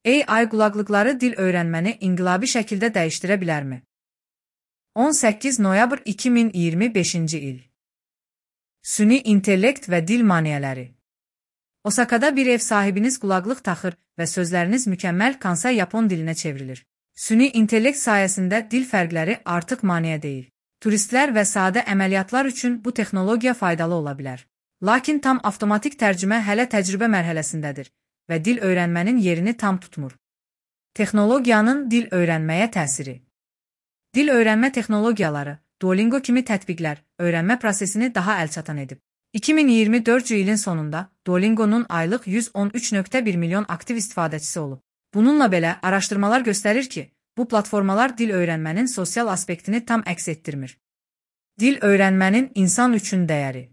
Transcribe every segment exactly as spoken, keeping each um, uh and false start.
A I qulaqlıqları dil öyrənməni inqilabi şəkildə dəyişdirə bilərmi? on səkkiz noyabr iki min iyirmi beşinci il. Süni intellekt və dil maneələri. Osakada bir ev sahibiniz qulaqlıq taxır və sözləriniz mükəmməl Kansai Yapon dilinə çevrilir. Süni intellekt sayəsində dil fərqləri artıq maneə deyil. Turistlər və sadə əməliyyatlar üçün bu texnologiya faydalı ola bilər. Lakin tam avtomatik tərcümə hələ təcrübə mərhələsindədir və dil öyrənmənin yerini tam tutmur. Texnologiyanın dil öyrənməyə təsiri. Dil öyrənmə texnologiyaları, Duolingo kimi tətbiqlər öyrənmə prosesini daha əlçatan edib. iki min iyirmi dördüncü ilin sonunda Duolingo'nun aylıq yüz on üç nöqtə bir milyon aktiv istifadəçisi olub. Bununla belə araşdırmalar göstərir ki, bu platformalar dil öyrənmənin sosial aspektini tam əks etdirmir. Dil öyrənmənin insan üçün dəyəri.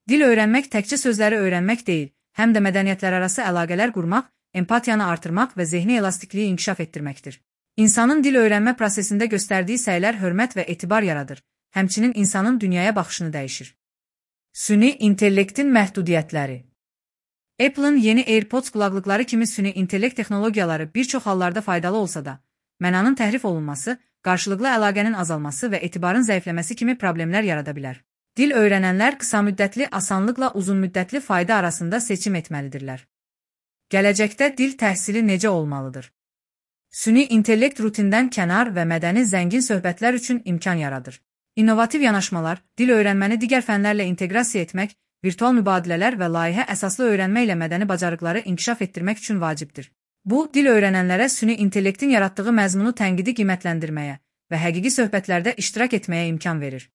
Dil öyrənmək təkcə sözləri öyrənmək deyil, həm də mədəniyyətlərarası əlaqələr qurmaq, empatiyanı artırmaq və zehni elastikliyi inkişaf etdirməkdir. İnsanın dil öyrənmə prosesində göstərdiyi səylər hörmət və etibar yaradır, həmçinin insanın dünyaya baxışını dəyişir. Süni intellektin məhdudiyyətləri. Apple'ın yeni AirPods qulaqlıqları kimi süni intellekt texnologiyaları bir çox hallarda faydalı olsa da, mənanın təhrif olunması, qarşılıqlı əlaqənin azalması və etibarın zəifləməsi kimi problemlər yarada bilər. Dil öyrənənlər qısa müddətli asanlıqla uzun müddətli fayda arasında seçim etməlidirlər. Gələcəkdə dil təhsili necə olmalıdır? Süni intellekt rutindən kənar və mədəni zəngin söhbətlər üçün imkan yaradır. İnnovativ yanaşmalar, dil öyrənməni digər fənlərlə inteqrasiya etmək, virtual mübadilələr və layihə əsaslı öyrənmə ilə mədəni bacarıqları inkişaf etdirmək üçün vacibdir. Bu, dil öyrənənlərə süni intellektin yaratdığı məzmunu tənqidi qiymətləndirməyə və həqiqi söhbətlərdə iştirak etməyə imkan verir.